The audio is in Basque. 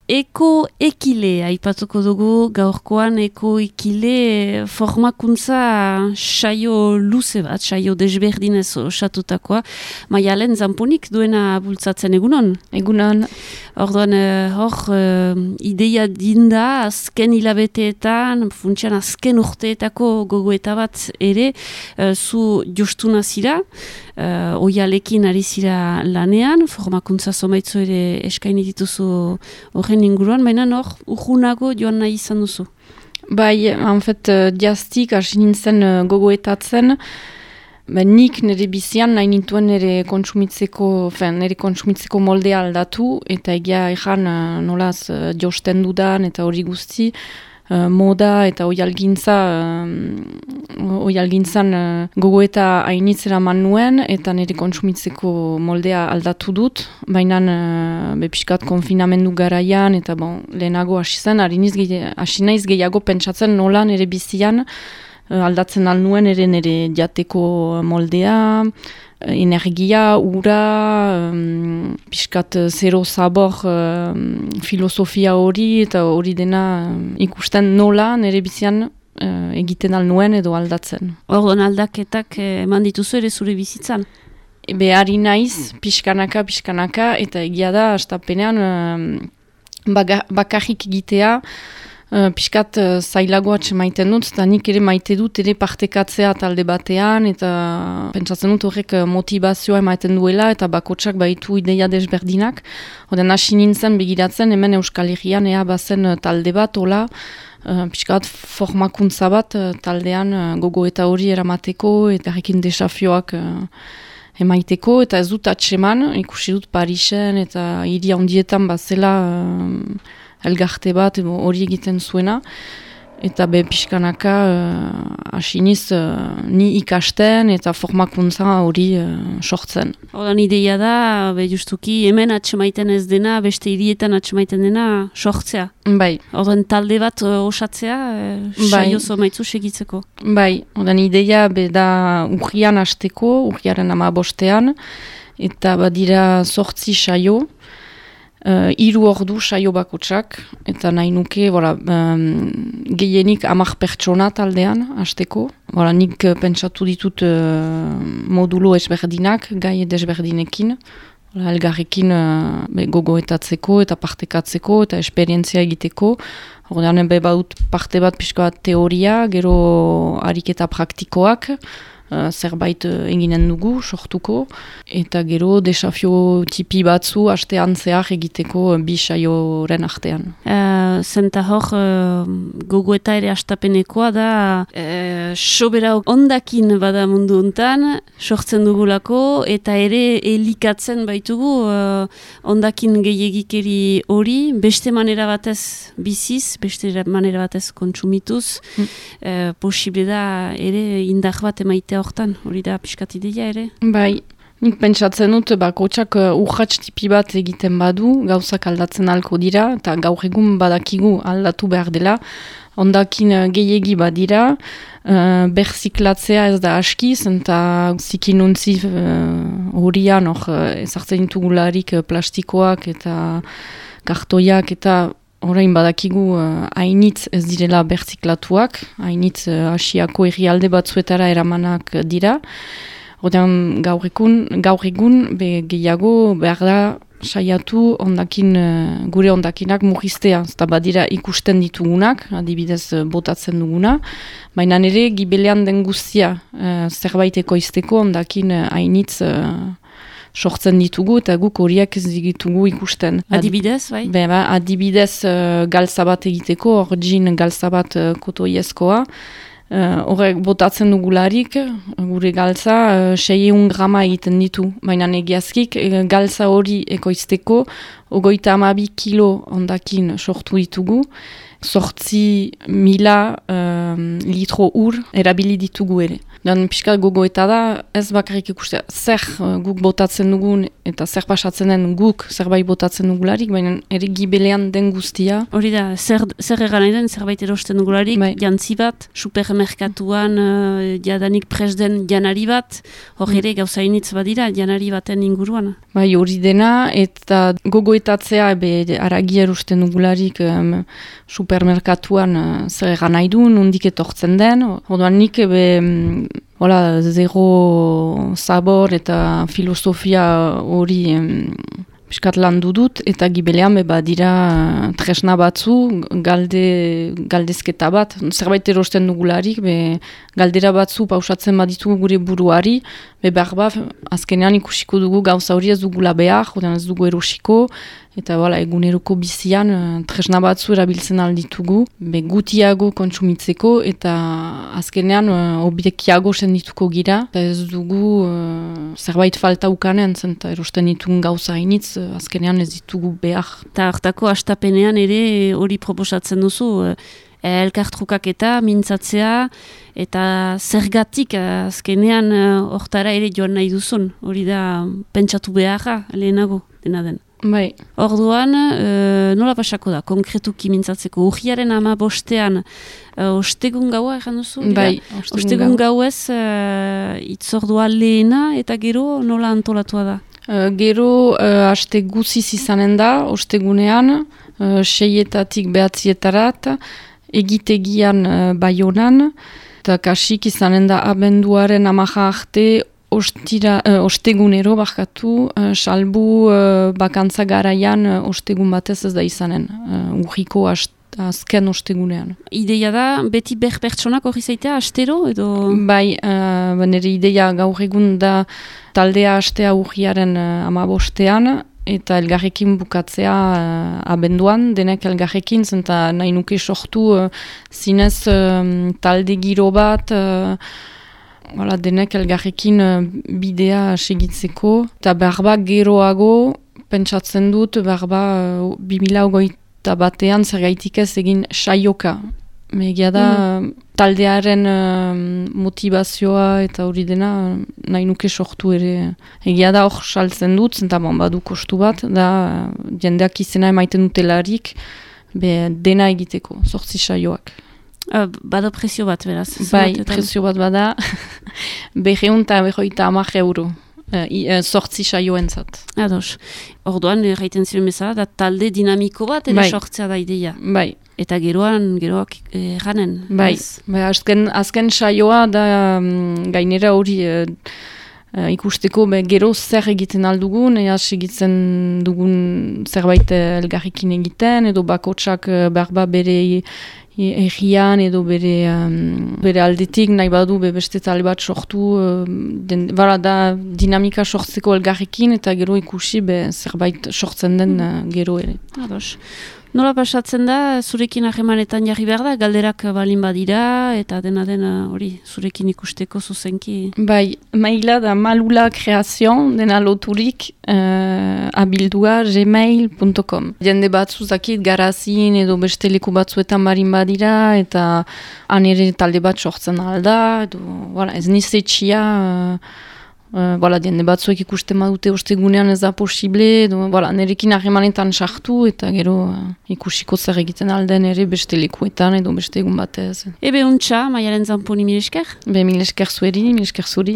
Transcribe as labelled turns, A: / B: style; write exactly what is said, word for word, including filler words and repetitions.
A: eko ekile, aipatuko dugu gaurkoan eko ekile formakuntza saio luze bat, saio desberdinez osatutakoa. Maialen Zamponik duena bultzatzen egunon?
B: Egunon.
A: Orduan, hor, uh, ideia dinda, azken hilabeteetan, funtsian azken urteetako gogoeta bat ere, uh, zu jostuna zira, uh, oialekin ari zira lanean, formakuntza zomaitzu ere eskaini dituzu horren inguruan, baina hor, urgunago joan nahi izan duzu.
B: Bai, en fet, diaztik, hasi nintzen uh, gogoetatzen, ba, nik nire bizian nahi nintuen nire kontsumitzeko, fen, nire kontsumitzeko moldea aldatu, eta egia ejan uh, nolaz uh, josten dudan, eta hori guzti, uh, moda eta oialgintza, uh, oialgintzan uh, gogoeta hainitzera man nuen, eta nire kontsumitzeko moldea aldatu dut, baina uh, bepiskat konfinamendu garaian, eta bon, lehenago hasi zen, hasi naiz gehiago pentsatzen nola nire bizian, aldatzen alnuen ere nire jateko moldea, energia, ura, um, piskat zero zabor um, filosofia hori, eta hori dena um, ikusten nola nire bizian uh, egiten alnuen edo aldatzen.
A: Orduan aldaketak eman dituzu ere zure bizitzan?
B: Behari naiz, pixkanaka, pixkanaka, eta egia da, astapenean um, baga, bakarrik egitea, Uh, piskat uh, zailagoa maiten dut, eta nik ere maite dut ere partekatzea talde batean, eta pentsatzen dut horrek motivazioa ematen duela, eta bakotsak baitu ideia desberdinak. Oden hasi nintzen begiratzen, hemen Euskal Herrian ea bazen talde bat, hola, uh, piskat formakuntza bat uh, taldean uh, gogoeta hori eramateko, eta horrekin desafioak uh, emaiteko, eta ez dut atseman, ikusi dut Parisen, eta hiri handietan bazela uh, elgarte bat hori egiten zuena, eta be pixkanaka uh, asiniz uh, ni ikasten eta formakuntza hori uh, sortzen.
A: Hordan ideia da, be justuki hemen atxemaiten ez dena, beste hirietan atxemaiten dena sortzea.
B: Bai.
A: Hordan talde bat uh, osatzea, uh, saio zomaitzu segitzeko.
B: Bai, hordan ideia be da urrian hasteko, urriaren hamabostean, eta badira sortzi saio, Uh, hiru ordu saio bakotsak, eta nahi nuke voilà, um, gehienik hamar pertsona taldean hasteko. Voilà, nik uh, pentsatu ditut uh, modulo ezberdinak, gai desberdinekin, voilà, elgarrekin uh, gogoetatzeko eta partekatzeko eta esperientzia egiteko. Ordean be badut parte bat pixka bat teoria, gero ariketa praktikoak, Uh, zerbait uh, eginen dugu, sortuko, eta gero desafio tipi batzu astean zehar egiteko uh, bi saioren artean.
A: Uh, zenta hor, uh, gogoeta ere astapenekoa da, uh, sobera ondakin bada mundu hontan, sortzen dugulako, eta ere elikatzen baitugu uh, ondakin gehiagikeri hori, beste manera batez biziz, beste manera batez kontsumituz, mm. uh, posible da ere indar bat emaitea hortan, hori da pixkat ideia ere?
B: Bai, nik pentsatzen dut, bakotsak uh, urratx tipi bat egiten badu, gauzak aldatzen alko dira, eta gaur egun badakigu aldatu behar dela, ondakin uh, gehiegi badira, uh, berziklatzea ez da askiz, eta zikinuntzi horian, uh, uh, ezartzen ditugularik uh, plastikoak eta kartoiak eta orain badakigu hainitz uh, ez direla berziklatuak, hainitz uh, asiako herrialde batzuetara eramanak dira. Ordean gaur egun, gaur egun be gehiago behar da saiatu ondakin, uh, gure ondakinak murriztea. Eta badira ikusten ditugunak, adibidez uh, botatzen duguna, baina nire gibelean den guztia uh, zerbait ekoizteko ondakin hainitz uh, sortzen ditugu, eta guk horiek ez ditugu ikusten.
A: Adibidez, bai?
B: Be, ba, adibidez uh, galtza bat egiteko, hor jin galtza bat uh, kotoiezkoa. Horrek uh, botatzen dugularik, gure galtza, uh, seiehun grama egiten ditu. Baina egiazkik, uh, galtza hori ekoizteko, ogoita hamabi kilo ondakin sortu ditugu. Sortzi mila um, litro ur erabili ditugu ere. Dan pixka gogoeta da, ez bakarrik ikustea, zer uh, guk botatzen dugun eta zer pasatzen den guk zerbait botatzen dugularik, baina ere gibelean den guztia.
A: Hori da, zer, zer egan nahi den, zerbait erosten dugularik, bai. Jantzi bat, supermerkatuan uh, jadanik presden janari bat, hor ere mm. gauza initz badira, janari baten inguruan.
B: Bai, hori dena, eta gogoetatzea, be, aragia erosten dugularik um, supermerkatuan uh, zer egan nahi du, nondik etortzen den, orduan nik be, um, hola, zero sabor eta filosofia hori um, piskat landu dut, eta gibelean beba dira tresna batzu, galde, galdezketa bat, zerbait erosten dugularik, be, galdera batzu pausatzen baditugu gure buruari, be behar ba, azkenean ikusiko dugu gauza hori ez dugula behar, ez dugu erosiko, eta bala, eguneroko bizian tresna batzu erabiltzen alditugu, be gutiago kontsumitzeko, eta azkenean obiekiago sendituko gira, eta ez dugu uh, zerbait falta ukanen, zenta erosten ditugun gauza hainitz, azkenean ez ditugu behar.
A: Eta hartako astapenean ere hori proposatzen duzu, elkartrukaketa, mintzatzea, eta zergatik azkenean hortara ere joan nahi duzun, hori da pentsatu beharra lehenago dena den.
B: Bai.
A: Orduan, e, nola pasako da, konkretuki mintzatzeko, urriaren ama bostean, e, ostegun gaua egan duzu?
B: Bai,
A: ostegun, ostegun gauez, e, itzordua lehena eta gero nola antolatua da?
B: Uh, gero, uh, haste guziz izanen da, ostegunean, uh, seietatik behatzietarat, egitegian uh, Baionan, eta kasik izanen da abenduaren amaja arte, Ostira, uh, ostegunero barkatu, uh, salbu uh, bakantza garaian uh, ostegun batez ez da izanen, uh, urriko azken ostegunean.
A: Ideia da, beti ber pertsonak hori zaitea, astero edo?
B: Bai, uh, nire ideia gaur egun da taldea astea urriaren uh, amabostean, eta elgarrekin bukatzea uh, abenduan, denek elgarrekin, zenta nahi nuke sortu uh, zinez um, talde giro bat, uh, Hala, denek elgarrekin uh, bidea segitzeko, eta berba geroago pentsatzen dut, berba uh, bi mila hogeita batean zergaitik ez egin saioka. Egia da, mm. taldearen uh, motivazioa eta hori dena uh, nahi nuke sortu ere. Egia da hor saltzen dut, zenta bon, badu kostu bat, da uh, jendeak izena emaiten dutelarik, be, dena egiteko, zortzi saioak.
A: Uh, bada prezio bat, beraz.
B: Bai, prezio bat bada, berreun eta berroita amak euro, uh, uh, sortzi saioen zat.
A: Ados, orduan, erraiten ziren bezala, da talde dinamiko bat, ere bai. Sortzea da ideia.
B: Bai.
A: Eta geroan, geroak erranen.
B: Bai, bai azken, azken saioa da um, gainera hori uh, uh, ikusteko be, gero zer egiten aldugun, ea segitzen dugun zerbait elgarrikin egiten, edo bakotsak uh, berba bere egian edo bere, um, bere aldetik nahi badu be beste talde bat sortu, um, den, bara da dinamika sortzeko elgarrekin eta gero ikusi be zerbait sortzen den uh, gero ere.
A: Ados. Nola pasatzen da, zurekin ahemanetan jarri behar da, galderak balin badira, eta dena dena hori, zurekin ikusteko zuzenki?
B: Bai, maila da malula kreazion, dena loturik, uh, abildua gmail punto com. Jende batzu zakit garazin edo beste leku batzuetan barin badira, eta han ere talde bat sortzen alda, edo, voilà, ez nizetxia, uh, Uh, voilà, diende batzuek ikusten badute ostegunean ez da posible, edo, voilà, nerekin harremanetan sartu eta gero uh, ikusiko zer egiten alden ere beste lekuetan edo beste egun batez.
A: Ebe untxa, Maialen Zamponi mil esker?
B: Be mil esker zueri, mil esker zuri.